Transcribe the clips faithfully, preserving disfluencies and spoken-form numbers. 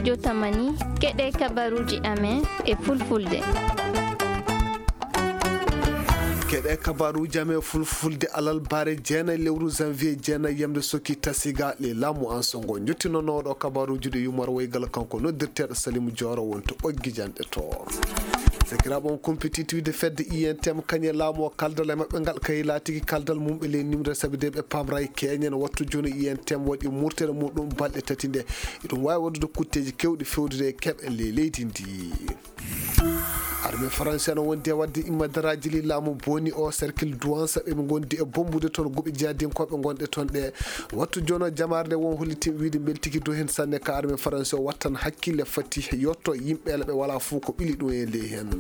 Jotamani, keɗe kabaruuji amen e fulfulde. Keɗe kabaruuji amen e fulfulde alarba jeenayi lewru janvier jeenayi yamde sokki tasiga le laamu an songo. Njottinono ɗo kabaruuji ɗi yumar waygal kanko noddirteeɗo Salimu Jooro wonto ɓoggi janɗe to. Sakiraaɓe on kumpitiiɗi wiide fedde I N T M kañe laamu o kaldal e maɓɓe ngal kay laatiki kaldal mum ɓe ley nimre sabi de ɓe pamray keñen wattu jooni I N T M waɗi murtere muɗum balɗe tati nde. Iɗum waawi waɗude kutteeji kewɗi fewdude e keɓe ley leydi ndi. Armée française no wondi e waɗde immadaraaji li laamu boni o cercle douance ɓe ngondi e bombude toon guɓe jihadinkooɓe ngonɗe toon ɗe. Wattu jono jamaare nde won hollitin wiide mbeltiki dow heen sanne ka armée française o wattan hakkille fati yotto yimɓe ɓe wala fof ko ɓili ɗum e ley heen.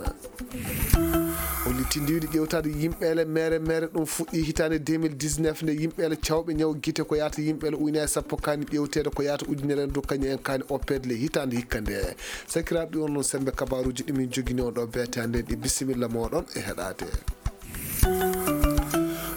Hollitinde wiide ƴewtaade yimɓe ele mere mere ɗum fuɗɗi hitaande deux mille dix-neuf nde yimɓe ele cawɓe ñaw gite ko yahata yimɓe ele ujunere sappo kaani ƴewteede ko yahata ujunere ndu kañum en kaani oppeede le hitaande hikka nde. Sakiraaɓe ɗi on noon sembe kabaruuji ɗi min jogini on ɗo beete hannde ɗi bisimilla mooɗon e heɗaade.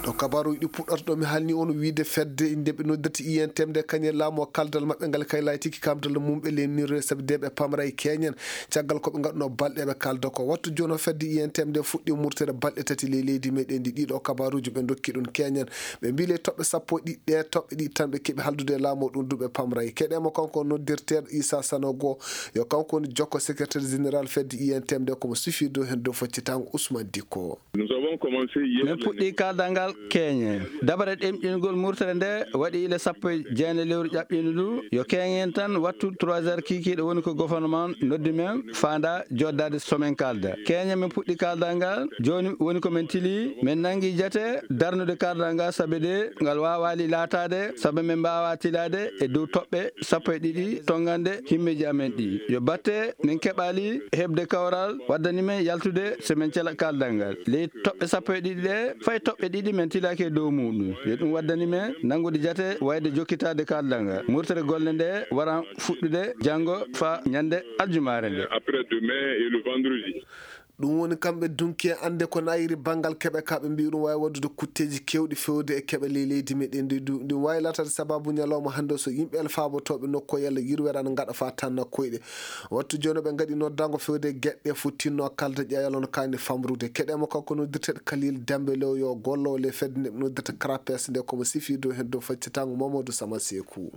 Ɗo kabaruuji ɗi puɗɗata ɗo mi halni on wiide fedde inde ɓe noddirta I N T M nde kañe laamu o kaldal maɓɓe ngal kay laytiki kamdal mum ɓe lennirde sabi de ɓe pamra e keñen caggal ko ɓe ngaɗuno balɗe ɓe kalda ko wattu jono fedde I N T M nde fuɗɗi murtere balɗe tati ley leydi meɗen ndi ɗiɗo kabaruuji ɓe dokki ɗum keñen ɓe mbi ley toɓɓe sappo e ɗiɗi ɗe toɓɓe ɗiɗi tan ɓe keɓi haldude e laamu o ɗum du ɓe pamra e keɗe mo kanko noddirteeɗo Issa Sanogo yo kanko woni jokko secrétaire général fedde I N T M nde komo sufi dow heen dow faccitango Ousmane Dikko. Nous avons commencé hier. Min puɗɗi kaldal ngal keñe. Dabare ɗemɗingol murtere nde waɗi ile sappo e jeenayi lewru ƴaɓɓiindu ndu. Yo keñen tan wattu trois heures kiikiiɗe woni ko gouvernement noddi men faanda jooddaade so min kalda. Keñe min puɗɗi kaldal ngal. Jooni woni ko min tili. Min nangi jate darnude kaldal ngal sabe de ngal waawaali laataade sabe min mbaawa tilaade e dow toɓɓe sappo e ɗiɗi tonngande himmeeji amen ɗi. Yo batte min keɓaali heɓde kawral waddani men yaltude so min cela kaldal ngal. Ley toɓɓe sappo e ɗiɗi ɗe, fay toɓɓe ɗiɗi min tilaaki e dow muɗum. Yo ɗum waddani men nanngude jate wayde jokkitaade kaldal ngal. Murtere golle nde waran fuɗɗude janngo faa ñande aljumaare nde. Après demain et le vendredi. Ɗum woni kamɓe dunki e annde ko nayiri banngal keɓe ka ɓe mbiyi ɗum waawi waɗdude kutteeji keewɗi feewde e keɓe ley leydi meɗen ndi du. Ɗum waawi laataade sababu ñalawma hannde o so yimɓe el faabotooɓe nokku o yalla yirwere ana ngaɗa faa tanna koyɗe. Wattu jooni ɓe ngaɗi noddaango feewde e geɗe ɗe fottinno kalda ƴeewal on kaani famrude. Keɗe mo kanko noddirteeɗo Kalil Dembe Lew yo gollo le fedde nde ɓe noddirta Crapes nde komo sifi dow heen dow faccitango Mamadou Sama Seeku.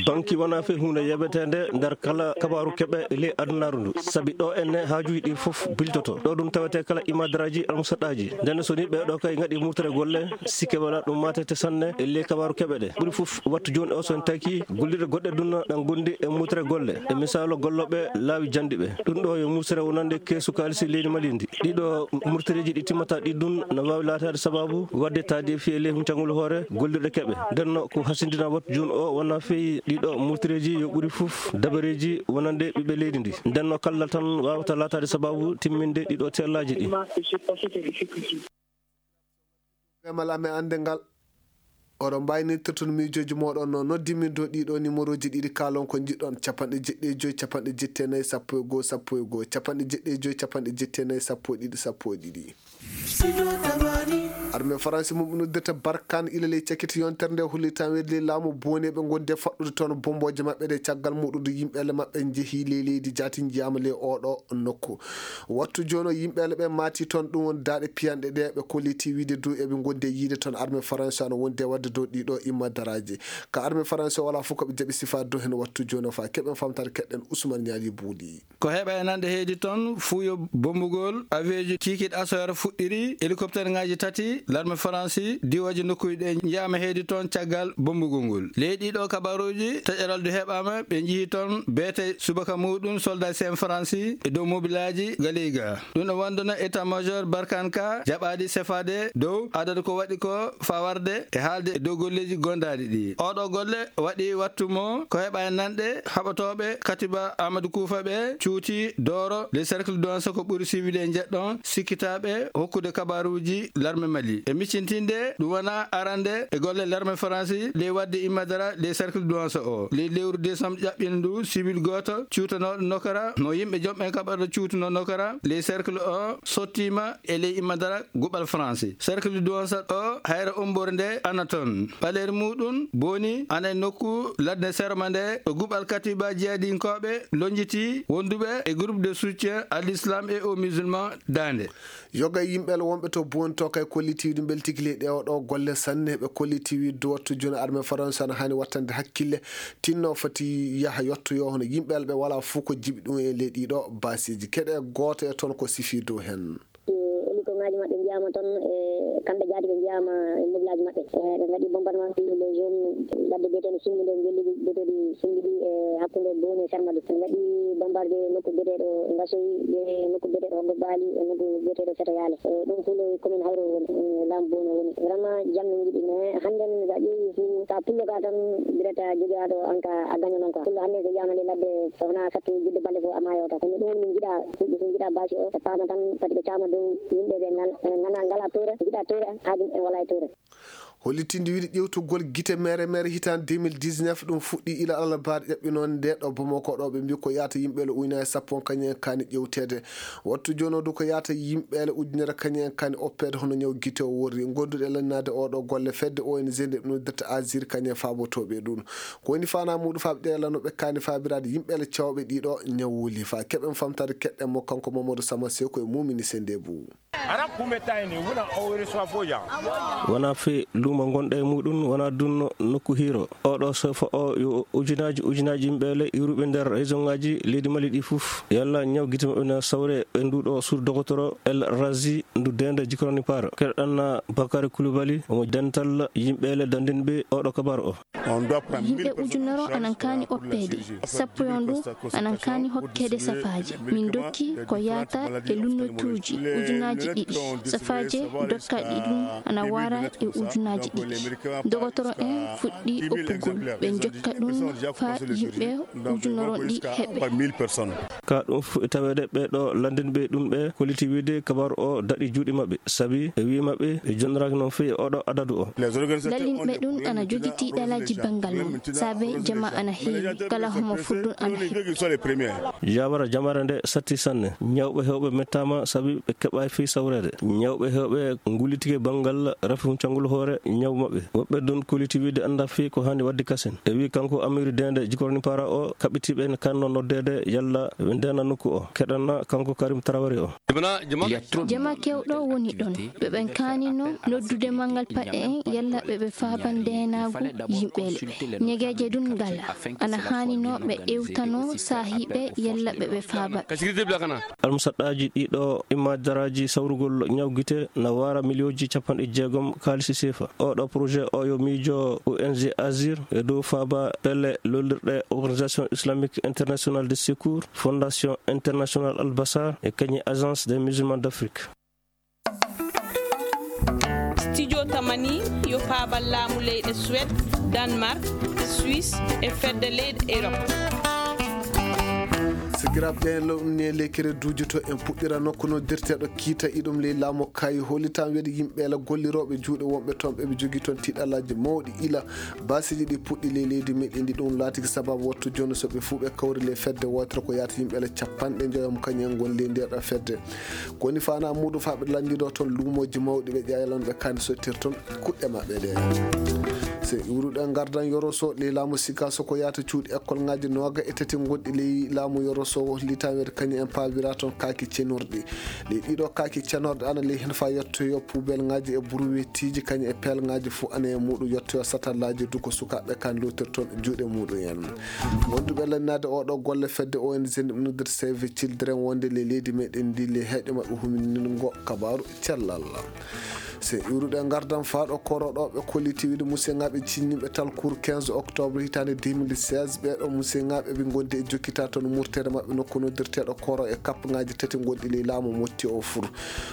Banki wonaa fii huunde yeɓeteende nder kala kabaaru keɓe ley adunaaru ndu, sabi ɗo enne haajuuji ɗi fof biltoto. Ɗo ɗum tawetee kala imadaraaji almusaɗaaji. Ndenne so ni ɓee ɗo kay ngaɗi murtere golle, sikke wala ɗum maatete sanne e ley kabaaru keɓe ɗe. Ɓuri fof wattu jooni o so en taki gollirɗe goɗɗe ɗum ɗan gondi e murtere golle. E misaalu gollooɓe laawi janndi ɓe. Ɗum ɗo yo murtere wonande keesu kaalisi leydi Mali ndi. Ɗiɗo murtereeji ɗi timmata ɗi ɗum no waawi laataade sababu waɗde taadi e fii e ley huncangol hoore gollirɗe keɓe. Ndenno ko hasindina wattu jooni o wona fii ɗiɗo murtereeji yo ɓuri fof dabareeji wonande ɓiɓɓe leydi ndi. Ndenno kallal tan waawata laataade sababu timminde ɗiɗo teellaaji ɗi. Bemal amen annde ngal. Oɗon mbaynirta toon miijooji mooɗon no noddi min dow ɗiɗo nimorooji ɗiɗi kaalon ko njiɗɗon, capanɗe jeɗɗi e joy, capanɗe jetti e nayi, sappo e goo, sappo e goo, capanɗe jeɗɗi e joy, capanɗe jetti e nayi, sappo e ɗiɗi, sappo e ɗiɗi. Armée faransi mum noddirta Barkhane ila ley cakiti yontere nde holli tan weɗli laamu boneɓe gonde faɗɗude toon bombooje maɓɓe ɗe caggal muɗude yimɓe ele maɓɓe njehi ley leydi jaati njiyaama ley oɗo nokku. Wattu jooni o yimɓe ele ɓe maati toon ɗum woni daaɗe piyanɗe ɗe ɓe kolliti wiide dow eɓe gondi e yiide toon armée faransi ano wondi e waɗde dow ɗiɗo imma daraaji ka armée faransi o wala fof ko ɓe jaɓi sifaade dow heen wattu jooni o faa keɓen famtaade keɗɗen Ousmane Ñaali Buuli. Ko heɓa e nanɗe heedi toon fuuyo bombugol avion ji kikiiɗe asoyara fuɗɗiri hélicoptère ngaji tati l'armée faransi diwoje nokkuji ɗe njiyaama heedi toon caggal bombugol ngol. Ley ɗiɗo kabaruji taƴeral du heɓaama ɓe njihi toon beete subaka muɗum soldat sen faransi e dow mobilaji galiga. Ɗum ɗo wondono état major Barkhane ka jaɓaadi sefaade dow adadu ko waɗi ko fawarde e haalde e dow golleji gondaɗi ɗi. Oɗo golle waɗi wattu mo ko heɓa e nanɗe haɓatooɓe katiba Amadou Koufa ɓe cuuti dooro le cercle donsa ko ɓuri siwide e njeɗɗon sikkitaaɓe hokkude kabaruuji l'armée Mali. E miccintinde ɗum wona arande e golle l'armée faransi ley waɗde immadara ley cercle duwansa o. Ley lewru décembre ƴaɓɓindu, civil gooto cuutanooɗo nokara mo yimɓe jomɓe kaɓarɗo cuutuno nokara ley cercle o sottiima e ley immadara guɓal faransi. Cercle duwansa o, hayra ummborde nde ana toon. Ɓaleeri muɗum boni ana e nokku ladde serma nde, e guɓal katiba jihadinkooɓe lonjiti wonduɓe e groupe de soutien à l'islam et aux musulmans daande. Yoga e yimɓe Allah wonɓe to Booni to kay kolliti wiide mbeltiki ley ɗe oɗo golle sanne. Ɓe kolliti wiide wattu jooni armée faransa ana haani wattande hakkille, tinno foti yaha yottoyo hono yimɓe Allah ɓe wala fof ko jiɓi ɗum e ley ɗiɗo basiji. Keɗe gooto e toon ko sifi dow heen. Elitongaaji maɓɓe njiyaama toon, e kamɓe jaati ɓe njiyaama e mobilaaji maɓɓe. E ɓe ngaɗi bombardement sur les zones, ladde biyeteende Simmbi nde, ngelli biyeteeɗi Simmbi ɗi e hakkunde Booni e Sarmadu. Ɓe ngaɗi bombardé nokku biyeteeɗo Ngasoy, e nokku biyeteeɗo Hoggo Baali, e nokku biyeteeɗo Feto Yaale. E ɗum fof ley commune Hayro woni, e laamu Booni woni. Vraiment, jam min njiɗi, mais hannden so a ƴeewi fof, ka pullo ka tan, direct a jogaaɗo an ka a gaño noon quoi. Pullo hannden so yiyaama ley ladde, so wonaa sattu jidde balɗe fof a maayo tan. Kono ɗum woni min njiɗa, yimɓe so njiɗa basi o, ɓe paama tan, fati ɓe caama dow yimɓe ɓe ngal-, ɓe ngana-, ngala toora, njiɗa toora, haa ɗum en wala e toora. Hollitinde wiide ƴewtugol gite mere mere hitaande deux mille dix-neuf ɗum fuɗɗi ila alarba ƴaɓɓinoonde nde ɗo Bamako ɗo, ɓe mbi ko yaata yimɓe le ujunaaji sappo kañum en kaani ƴewteede. Wattu jooni o du ko yaata yimɓe le ujunere kañum en kaani oppeede hono ñaw gite o worri. Gonduɗe lannaade oɗo golle fedde O N G nde ɓe noddirta Azir kañum e faabotooɓe e ɗum. Ko woni faanaa muɗum faaɓe ɗe lano ɓe kaani faabiraade yimɓe le cawɓe ɗiɗo ñaw wuli. Faa keɓen famtaade keɗɗen mo kanko Mamadou Sama Seko e Mumini Sendebu. Wonaa fii luumo ngonɗo e muɗum, wonaa dunno nokku hiiro. Oɗo sofa o yo ujunaaji ujunaaji yimɓe le iwruɓe nder région ŋaaji leydi Mali ɗi fof. Yalla ñaw gite maɓɓe na sawre e ndu ɗo sur dogotoro El Razi ndu deende jikoroni paara. Keɗoɗen na Bakary Coulibaly, omo dental yimɓe le dandinɓe oɗo kabaru o. Yimɓe ujunere anan kaani oppeede, sappo e on ɗum anan kaani hokkeede safaaji. Min dokki ko yaata e lunnotuuji ujunaaji ɗiɗi. Safaaji dokkaaɗi ɗum ana wara e ujunaaji ɗiɗi. Dogotoro en fuɗɗi oppugol, ɓe jokka ɗum faa yimɓe ujunere on ɗi heɓe. Ka ɗum fof e taweede ɓee ɗo lanndinɓe ɗum ɓe kolliti wiide kabaru o daɗi juuɗe maɓɓe, sabi ɓe wi'i maɓɓe ɓe jonnoraaki noon feewi e oɗo adadu o. Lallinɓe ɗum ana jogiti ɗalaaji banngal mum, saabe jama ana heewi, kala homo fuɗɗun ana heɓi. Jabara jamare nde satti sanne. Ñawɓe heewɓe mettaama sabi ɓe keɓaay fii sawreede. Ñawɓe heewɓe ngullitike banngal rafi huncangol hoore ñaw maɓɓe. Woɓɓe ɗum kolliti wiide annda fii ko haani waɗde kasen. E wi kanko Amiru Dende jikorni para o, kaɓɓitiiɓe ne kanno noddeede yalla ɓe ndeena nokku o. Keɗanna kanko Karim Traoré o. Jama kewɗo woni ɗon. Ɓe ɓen kaanino noddude manngal paɗe en yalla ɓe ɓe faaba ndeenaagu yimɓe le. Ñegeeje ɗun ngala. Ana haanino ɓe ewtano saahiiɓe yalla ɓe ɓe faaba. Almusaɗɗaaji ɗiɗo imma daraaji sawrugol ñawgite na waara miliyonji capanɗe jeegom kaalisi seefa. Oɗo projet o yo miijo O N G Azir e dow faaba pelle lollirɗe Organisation Islamique Internationale de Secours, Fondation Internationale Al Basar e kañi Agence des Musulmans d'Afrique. Studio Tamani yo paabal laamu leyɗe Suède, Danemark, Suisse e fedde leyɗe Europe. Sikiraaɓe ɓe lowni e lekkere duuji to en puɗɗira nokku noddirteeɗo kiita iɗum ley laamu kayi hollitan weede yimɓe la gollirooɓe juuɗe wonɓe toon ɓe ɓe jogii toon tiiɗalaaji mawɗi ila baasiiji ɗi puɗɗi ley leydi meɗen ndi ɗum laatiki sababu wattu jooni so ɓe fuu ɓe kawri ley fedde wootere ko yaata yimɓe la capanɗe njoyo mo kañum en ngon ley nder ɗo fedde. Ko woni faanaa muuɗum faa ɓe lanndiɗo toon luumooji mawɗi ɓe ƴaayalon ɓe kaani sottir toon kuɗɗe maɓɓe ɗe. So iwruɗen ngardan Yoroso ley laamu Sikaso ko yaata cuuɗi ekkolŋaaji nooga e tati ngonɗi ley laamu Yoroso hollitan weede kañum en paabira toon kaaki cenurɗi. Ley ɗiɗo kaaki cenorɗe ana ley heen faa yettoyo puubelŋaaji e buruwetiiji kañum e peelŋaaji fof ana e muuɗum yettoyo satallaaji du ko sukaaɓe kan lootir toon juuɗe muuɗum en. Wonduɓe lannaade oɗo golle fedde O N G nde noddirta Save Children wonde ley leydi meɗen ndi ley heeɗe maɓɓe huminingo kabaaru cellal. So iwruɗe ngardan faa ɗo koro ɗo ɓe kolliti wiide museŋaaɓe cinniiɓe tal cour quinze octobre hitaande deux mille seize ɓee ɗo museŋaaɓe ɓe ngondi e jokkita toon murtere maɓɓe nokku noddirteeɗo koro e kappaŋaaji tati ngonɗi ley laamu motti o fur.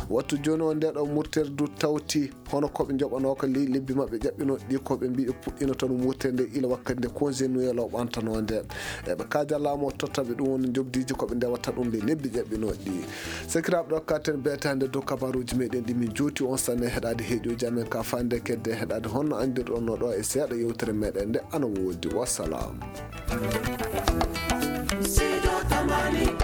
Wattu jooni o nde ɗo murtere du tawti hono ko ɓe njoɓanoo ko ley lebbi maɓɓe ƴaɓɓinooɗi ɗi ko ɓe mbii ɓe puɗɗino toon murtere nde ila wakkati nde congé Noël o ɓantanoo nde. Eɓe kaaja laamu o totta ɓe ɗum woni njoɓdiiji ko ɓe ndewata ɗum ley lebbi ƴaɓɓinooɗi ɗi. Sakiraaɓe ɗo katen beetaande dow kabaruuji meɗen ɗi min jooti on sanne heɗa Adi heɗiyo jamen ka fande kedde heɗade honno andirɗon no ɗo e seeɗa yewtere meɗen nde ana wodi. Wassalam. Sido Tamani